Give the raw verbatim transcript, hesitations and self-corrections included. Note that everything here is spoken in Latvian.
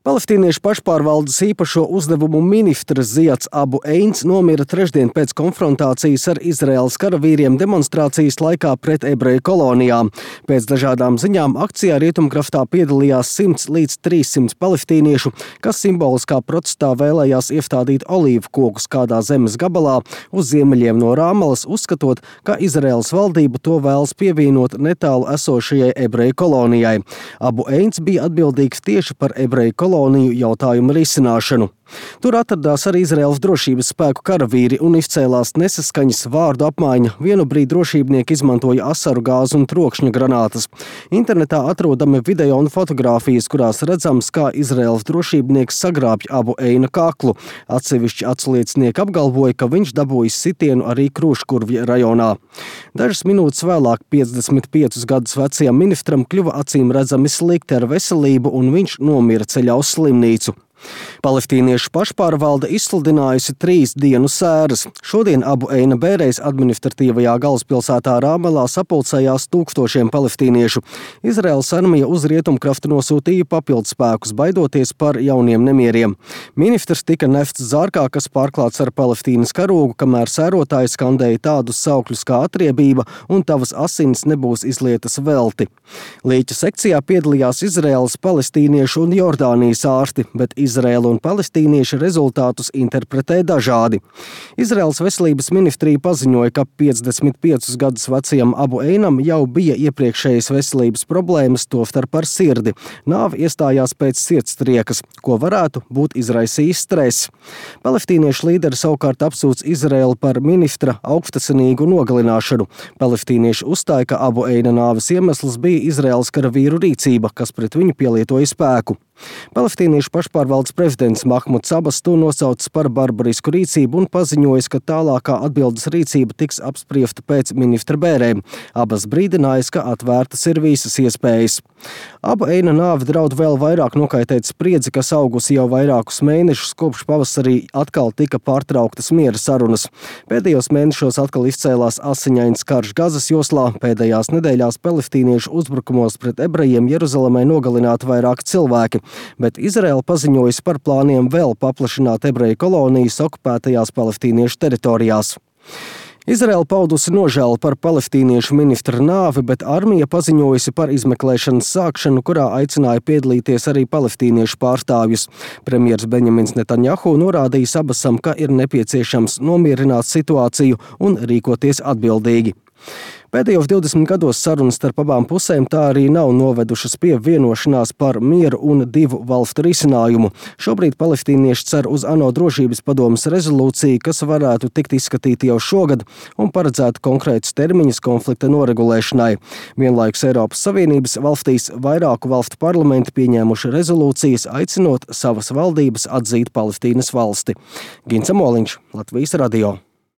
Palestīniešu pašpārvaldes īpašo uzdevumu ministrs Ziads Abu Eins nomira trešdien pēc konfrontācijas ar Izraēlas karavīriem demonstrācijas laikā pret ebreju kolonijām. Pēc dažādām ziņām akcijā Rietumkraftā piedalījās simts līdz trīssimts palestīniešu, kas simboliskā protestā vēlējās iestādīt olīvu kokus kādā zemes gabalā uz ziemeļiem no Rāmalas, uzskatot, ka Izraēlas valdība to vēlas pievienot netālu esošajai ebreju kolonijai. Abu Eins bija atbildīgs tieši par ebreju koloniju jautājumu risināšanu. Tur atradās arī Izraēlas drošības spēku karavīri un izcēlās nesaskaņas vārdu apmaiņa. Vienu brīdi drošībnieki izmantoja asaru gāzi un trokšņa granātas. Internetā atrodami video un fotogrāfijas, kurās redzams, kā Izraēlas drošībnieks sagrābj Abu Eina kaklu. Atsevišķi atsliecinieki apgalvoja, ka viņš dabūjis sitienu arī Krūškurvja rajonā. Dažas minūtes vēlāk piecdesmit piecus gadus vecajam ministram kļuva acīm redzami slikti ar veselību un viņš nomira ceļā uz slimnīcu. Palestīniešu pašpārvalde izsludinājusi trīs dienu sēras. Šodien Abu Eina bērēs administratīvajā galvaspilsētā Rāmalā sapulcējās tūkstošiem palestīniešu. Izraēlas armija uz Rietumkraftu nosūtīja papildspēkus, baidoties par jauniem nemieriem. Ministrs tika nefts zārkā, kas pārklāts ar Palestīnas karogu, kamēr sērotāji skandēja tādus saukļus kā atriebība un tavas asins nebūs izlietas velti. Līķa sekcijā piedalījās Izraēlas, palestīniešu un Jordānijas ārsti, bet Izraēla un palestīnieši rezultātus interpretē dažādi. Izraēlas veselības ministrija paziņoja, ka piecdesmit piecus gadus vecajam Abu Einam jau bija iepriekšējas veselības problēmas, tostarp ar sirdi. Nāve iestājās pēc sirdstriekas, ko varētu būt izraisījis stress. Palestīniešu līderi savukārt apsūdz Izraēlu par ministra augstasinīgu nogalināšanu. Palestīnieši uzstāja, ka Abu Eina nāves iemesls bija Izraēlas karavīru rīcība, kas pret viņu pielietoja spēku. Palestīniešu pašpārvaldes prezidents Mahmuds Abas to nosaucis par barbarisku rīcību un paziņojis, ka tālākā atbildes rīcība tiks apspriesta pēc ministra bērēm. Abas brīdinājis, ka atvērtas ir visas iespējas. Abu Eina nāve draud vēl vairāk nokaitēt spriedzi, kas augusi jau vairākus mēnešus, kopš pavasarī atkal tika pārtrauktas miera sarunas. Pēdējos mēnešos atkal izcēlās asiņains karš Gazas joslā. Pēdējās nedēļās palestīniešu uzbrukumos pret ebrejiem Jeruzalemē nogalināti vairāki cilvēki. Bet Izraēla paziņojas par plāniem vēl paplašināt ebreju kolonijas okupētajās palestīniešu teritorijās. Izraēla paudusi nožēlu par palestīniešu ministra nāvi, bet armija paziņojusi par izmeklēšanas sākšanu, kurā aicināja piedalīties arī palestīniešu pārstāvjus. Premjers Benjamins Netanjahu norādījis Abasam, ka ir nepieciešams nomierināt situāciju un rīkoties atbildīgi. Pēdējos divdesmit gados sarunas starp abām pusēm tā arī nav novedušas pie vienošanās par mieru un divu valstu risinājumu. Šobrīd palestīnieši cer uz ANO drošības padomes rezolūciju, kas varētu tikt izskatīta jau šogad un paredzētu konkrētus termiņus konflikta noregulēšanai. Vienlaikus Eiropas Savienības valstīs vairāku valstu parlamenti pieņēmuši rezolūcijas, aicinot savas valdības atzīt Palestīnas valsti. Gints Amoliņš, Latvijas radio.